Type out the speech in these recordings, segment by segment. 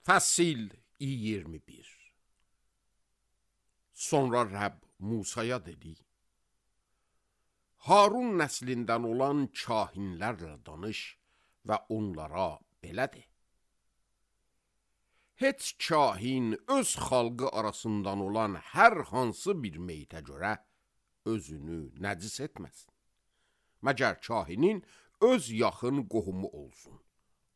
Fəsil 21. Sonra Rəbb Musaya dedi: Harun nəslindən olan kahinlərlə danış və onlara belə de: Heç kahin öz xalqı arasından olan hər hansı bir meytə görə özünü nəcis etməsin. Məgər kahinin öz yaxın qohumu olsun.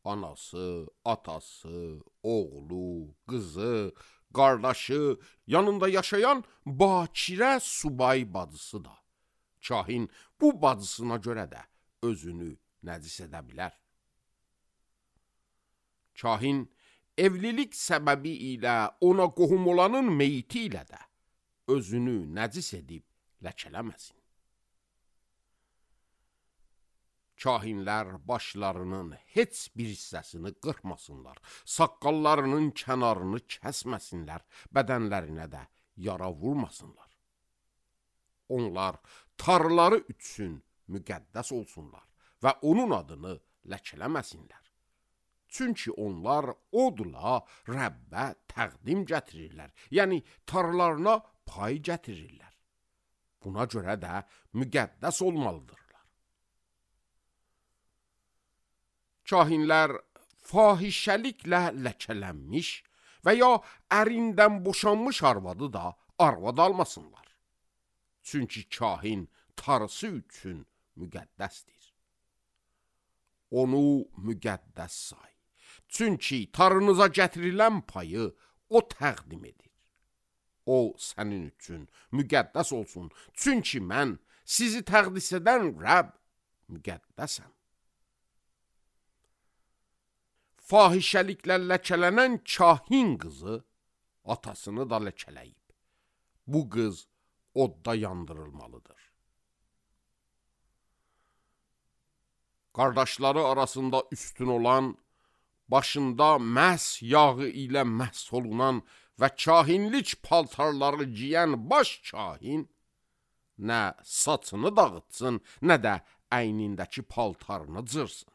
Anası, atası, oğlu, qızı, qardaşı, yanında yaşayan bakirə subay bacısı da. Kahin bu bacısına görə də özünü nəcis edə bilər. Kahin evlilik səbəbi ilə ona qohum olanın meyti ilə də özünü nəcis edib ləkələməsin. Kahinlər başlarının heç bir hissəsini qırxmasınlar, saqqallarının kənarını kəsməsinlər, bədənlərinə də yara vurmasınlar. Onlar tarları üçün müqəddəs olsunlar və onun adını ləkələməsinlər. Çünki onlar odla Rəbbə təqdim gətirirlər, yəni tarlarına pay gətirirlər. Buna görə də müqəddəs olmalıdır. Kahinlər fahişəliklə ləkələnmiş və ya ərindən boşanmış arvadı da arvad almasınlar. Çünki kahin tarısı üçün müqəddəsdir. Onu müqəddəs say. Çünki tarınıza gətirilən payı o təqdim edir. O sənin üçün müqəddəs olsun. Çünki mən sizi təqdis edən Rəbb müqəddəsəm. Fahişəliklə ləkələnən kahin qızı atasını da ləkələyib. Bu qız odda yandırılmalıdır. Qardaşları arasında üstün olan, başında məhs yağı ilə məhs olunan və kahinlik paltarları giyən baş kahin nə saçını dağıtsın, nə də əynindəki paltarını cırsın.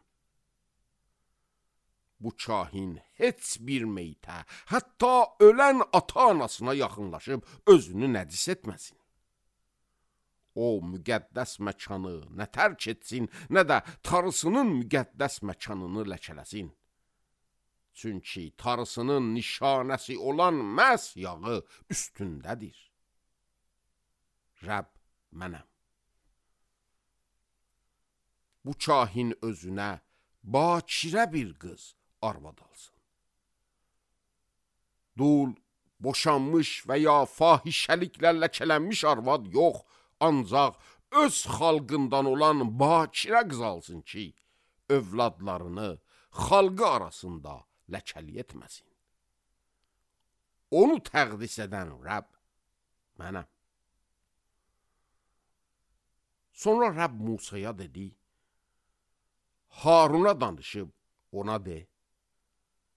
Bu kahin heç bir meytə, hətta ölən ata-anasına yaxınlaşıb özünü nəcis etməsin. O müqəddəs məkanı nə tərk etsin, nə də tarısının müqəddəs məkanını ləkələsin. Çünki tarısının nişanəsi olan məhz yağı üstündədir. Rəbb mənəm. Bu kahin özünə bakirə bir qız arvad alsın. Dul, boşanmış və ya fahişəliklə ləkələnmiş arvad yox, ancaq öz xalqından olan bakirə qız alsın ki, övladlarını xalqı arasında ləkəli etməsin. Onu təqdis edən Rəbb mənəm. Sonra Rəbb Musaya dedi: Haruna danışıb ona de: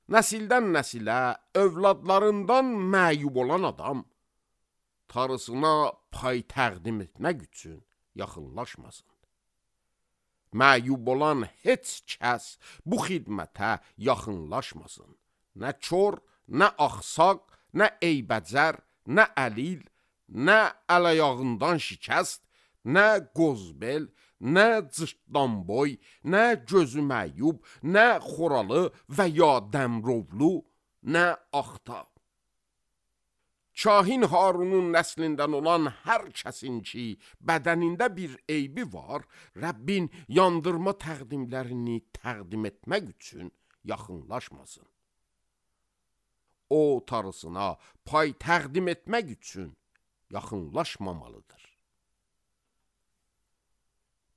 Nəsildən nəsilə, övladlarından məyub olan adam tarısına pay təqdim etmək üçün yaxınlaşmasın. Məyub olan heç kəs bu xidmətə yaxınlaşmasın. Nə kör, nə axsaq, nə eybəcər, nə əlil, nə əl-ayağından şikəst, nə qozbel, nə cırtdanboy, nə gözü məyub, nə xoralı və ya dəmrovlu, nə axta. Kahin Harunun nəslindən olan hər kəsin ki, bədənində bir eybi var, Rəbbin yandırma təqdimlərini təqdim etmək üçün yaxınlaşmasın. O tarısına pay təqdim etmək üçün yaxınlaşmamalıdır.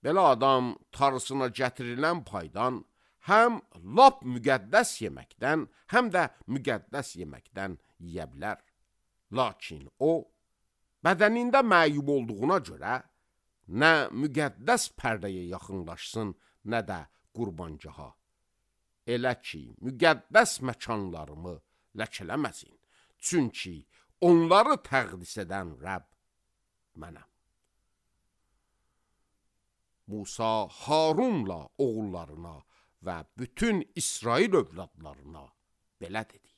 Belə adam tarısına gətirilən paydan həm lap müqəddəs yeməkdən, həm də müqəddəs yeməkdən yeyə bilər. Lakin o, bədənində məyub olduğuna görə nə müqəddəs pərdəyə yaxınlaşsın, nə də qurbancaha. Elə ki, müqəddəs məkanlarımı ləkələməsin. Çünki onları təqdis edən Rəbb mənəm. Musa Harunla oğullarına və bütün İsrail övladlarına belə dedi: